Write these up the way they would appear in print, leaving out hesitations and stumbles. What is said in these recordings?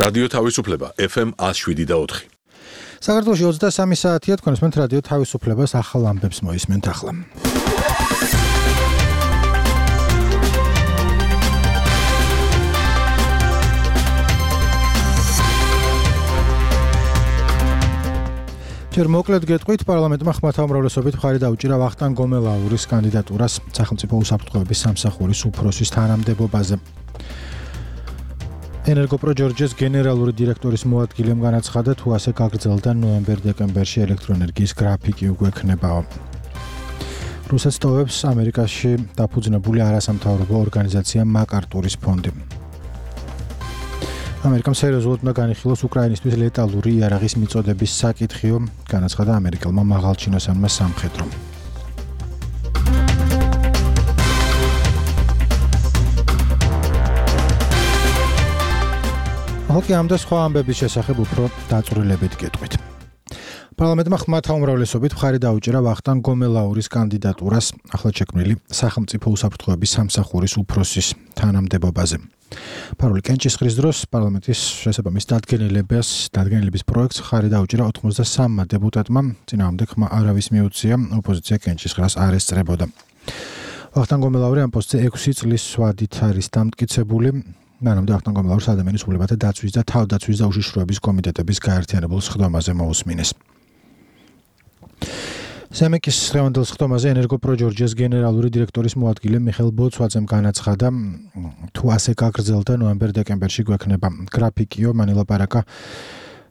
რადიო თავისუფლება FM 107.4. საქართველოში 23 საათია, თქვენ ესმენთ რადიო თავისუფლებას, ახალ ამბებს მოისმენთ ახლა. ჯერ მოკლედ გეტყვით, პარლამენტმა ხმათა უმრავლესობით მხარი დაუჭირა ვახტანგ გომელაურის კანდიდატურას სახელმწიფო უსაფრთხოების სამსახურის უფროსის თანამდებობაზე. ენერგოპროჯორჯეს გენერალური დირექტორის მოადგილემ განაცხადა, თუ ასე გაგრძელდა ნოემბერ-დეკემბერში ელექტროენერგიის გრაფიკი უგვექნებაო. რუსეთს ტოვებს ამერიკაში დაფუძნებული არასამთავრობო ორგანიზაცია მაკარტურის ფონდი. ამერიკამ სერიოზულად უნდა განიხილოს უკრაინისთვის ლეტალური იარაღის მიწოდების საკითხიო, განაცხადა ამერიკელმა მაღალჩინოსანმა სამხედრომ. ახლა ამ და სხვა ამბების შესახებ უფრო დაწვრილებით გეტყვით. პარლამენტმა ხმათა უმრავლესობით მხარი დაუჭირა ვახტანგ გომელაურის კანდიდატურას ახლად შექმნილი სახელმწიფო უსაფრთხოების სამსახურის უფროსის თანამდებობაზე. ფარული კენჭისყრის დროს პარლამენტის შესაბამის დადგენილების პროექტს მხარი დაუჭირა 83 დეპუტატმა, წინააღმდეგ ხმა არავის მიუწია, ოპოზიცია კენჭისყრას არ ესწრებოდა. ვახტანგ გომელაური ამ პოსტზე 6 წლის ვადით არის დამტკიცებული. მანამდე ვახტანგ გომელაურს ადამიანის უფლებათა დაცვის და თავდაცვის და უშიშროების კომიტეტების გაერთიანებულ სხდომაზე მოусმინეს. სემეკის დღევანდელ სხდომაზე ენერგოპროჯორჯეს გენერალური დირექტორის მოადგილე მიხეილ ბოცვაძემ განაცხადა, თუ ასე გაგრძელდა ნოემბერ-დეკემბერში გვექნება გრაფიკიო, მან ელაპარაკა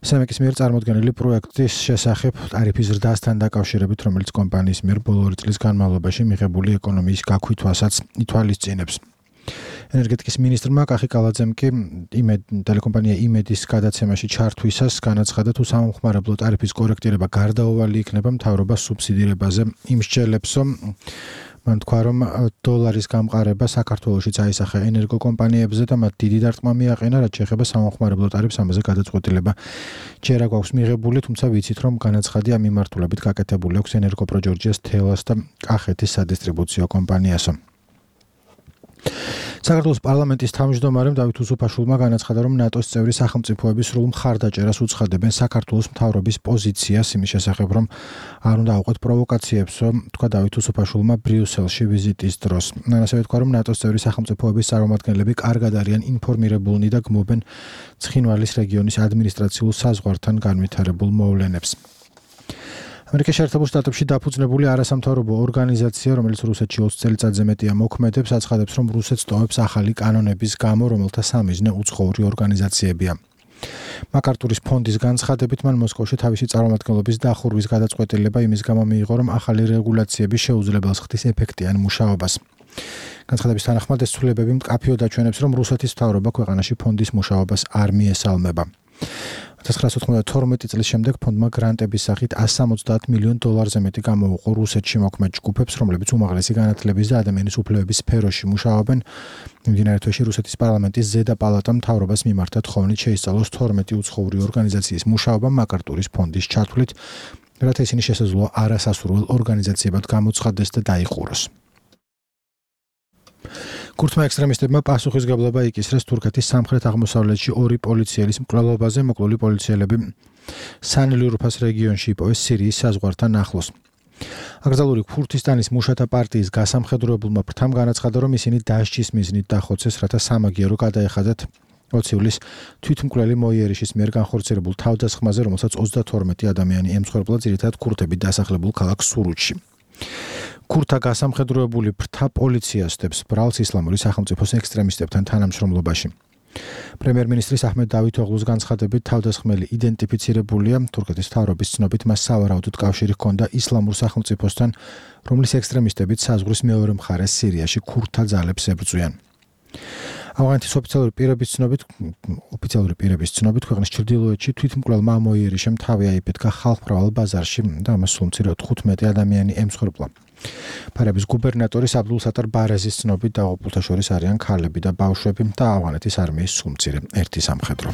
სემეკის მიერ წარმოდგენილი პროექტის შესახებ ტარიფის ზრდასთან დაკავშირებით, რომელიც კომპანიის მიერ ბოლო 2 წლის განმავლობაში მიღებული ეკონომიის გაქვითვასაც ითვალისწინებს. ენერგეტიკის მინისტრმა კახი კალაძემ კი ტელეკომპანია იმედის გადაცემაში ჩართვისას განაცხადა, თუ სამომხმარებლო ტარიფის კორექტირება გარდაუვალი იქნება მთავრობას სუბსიდირებაზე იმსჯელებსო. მან თქვა, რომ დოლარის გამყარება საქართველოშიც აისახა ენერგოკომპანიებზე და მათ დიდი დარტყმა მიაყენა, რაც შეეხება სამომხმარებლო ტარიფს, ამაზე გადაწყვეტილება ჯერ არ გვაქვს მიღებული, თუმცა ვიცით, რომ განაცხადი ამ მიმართულებით გაკეთებული აქვს ენერგოპროჯორჯეს თელას და კახეთის სადისტრიბუციო კომპანიასო. საქართველოს პარლამენტის თავმჯდომარემ დავით უსუფაშვილმა განაცხადა, რომ ნატოს წევრი სახელმწიფოები სრულ მხარდაჭერას უცხადებენ საქართველოს მთავრობის პოზიციას იმის შესახებ, რომ არ უნდა აუყვეთ პროვოკაციებსო, თქვა დავით უსუფაშვილმა ბრიუსელში ვიზიტის დროს. ასევე თქვა, რომ ნატოს წევრი სახელმწიფოების წარმომადგენლები კარგად არიან ინფორმირებულნი და გმობენ ცხინვალის რეგიონის ადმინისტრაციულ საზღვართან განვითარებულ მოვლენებს. ამერიკის შეერთებულ შტატებში დაფუძნებული არასამთავრობო ორგანიზაცია, რომელიც რუსეთში 20 წელიწადზე მეტია მოქმედებს, აცხადებს, რომ რუსეთს ტოვებს ახალი კანონების გამო, რომელთა სამიზნე უცხოური ორგანიზაციებია. მაკარტურის ფონდის განცხადებით, მან მოსკოვში თავისი წარმომადგენლობის დახურვის გადაწყვეტილება იმის გამო მიიღო, რომ ახალი რეგულაციები შეუძლებელს ხდის ეფექტიან მუშაობას. განცხადების თანახმად ეს ცვლილებები მკაფიოდ აჩვენებს, რომ რუსეთის მთავრობა ქვეყანაში ფონდის მუშაობას არ მიესალმება. 1992 წლის შემდეგ ფონდმა გრანტების სახით $170 მილიონ მეტი გამოუყო რუსეთში მოქმედ ჯგუფებს, რომლებიც უმაღლესი განათლების და ადამიანის უფლებების სფეროში მუშაობენ. მიმდინარე თვეში რუსეთის პარლამენტის ზედა პალატამ მთავრობას მიმართა თხოვნით შეისწავლოს 12 უცხოური ორგანიზაციის მუშაობა მაკარტურის ფონდის ჩათვლით, რათა ისინი შესაძლოა არასასურველ ორგანიზაციებად გამოცხადდეს და დაიყუროს. ქურთმა ექსტრემისტებმა პასუხისგებლობა იკისრეს თურქეთის სამხრეთ-აღმოსავლეთში 2 პოლიციელის მკვლელობაზე. მოკლული პოლიციელები სანლიურფას რეგიონში იპოვეს სირიის საზღვართან ახლოს. აკრძალული ქურთისტანის მუშათა პარტიის გასამხედროებულმა ფრთამ განაცხადა, რომ ისინი დასჯის მიზნით დახოცეს, რათა სამაგიერო გადაეხადათ 20 ივლისს თვითმკვლელი მოიერიშის მიერ განხორციელებულ თავდასხმაზე, რომელსაც 32 ადამიანი ემსხვერპლა, ძირითადად ქურთები დასახლებულ ქალაქ სურუჩში. ქურთა გასამხედროებული ფრთა პოლიციასტებს ბრალს ისლამური სახელმწიფოს ექსტრემისტებთან თანამშრომლობაში. პრემიერ-მინისტრის აჰმედ დავითოღლუს განცხადებით, თავდასხმელი იდენტიფიცირებულია. თურქეთის მთავრობის ცნობით, მას სავარაუდოდ კავშირი ჰქონდა ისლამურ სახელმწიფოსთან, რომლის ექსტრემისტებიც საზღვრის მეორე მხარეს სირიაში ქურთთა ძალებს ებრძვიან. ავღანეთის ოფიციალური პირების ცნობით, ქვეყნის ჩრდილოეთში თვითმკვლელმა მოიერიშემ თავი აიფეთქა ხალხმრავალ ბაზარში და ამას სულ მცირე 15 ადამიანი ემსხვერპლა. ფარების გუბერნატორის აბდულ სატარ ბარეზის ცნობით, დაღუპულთა შორის არიან ქალები და ბავშვები და ავღანეთის არმიის სულ მცირე 1 სამხედრო.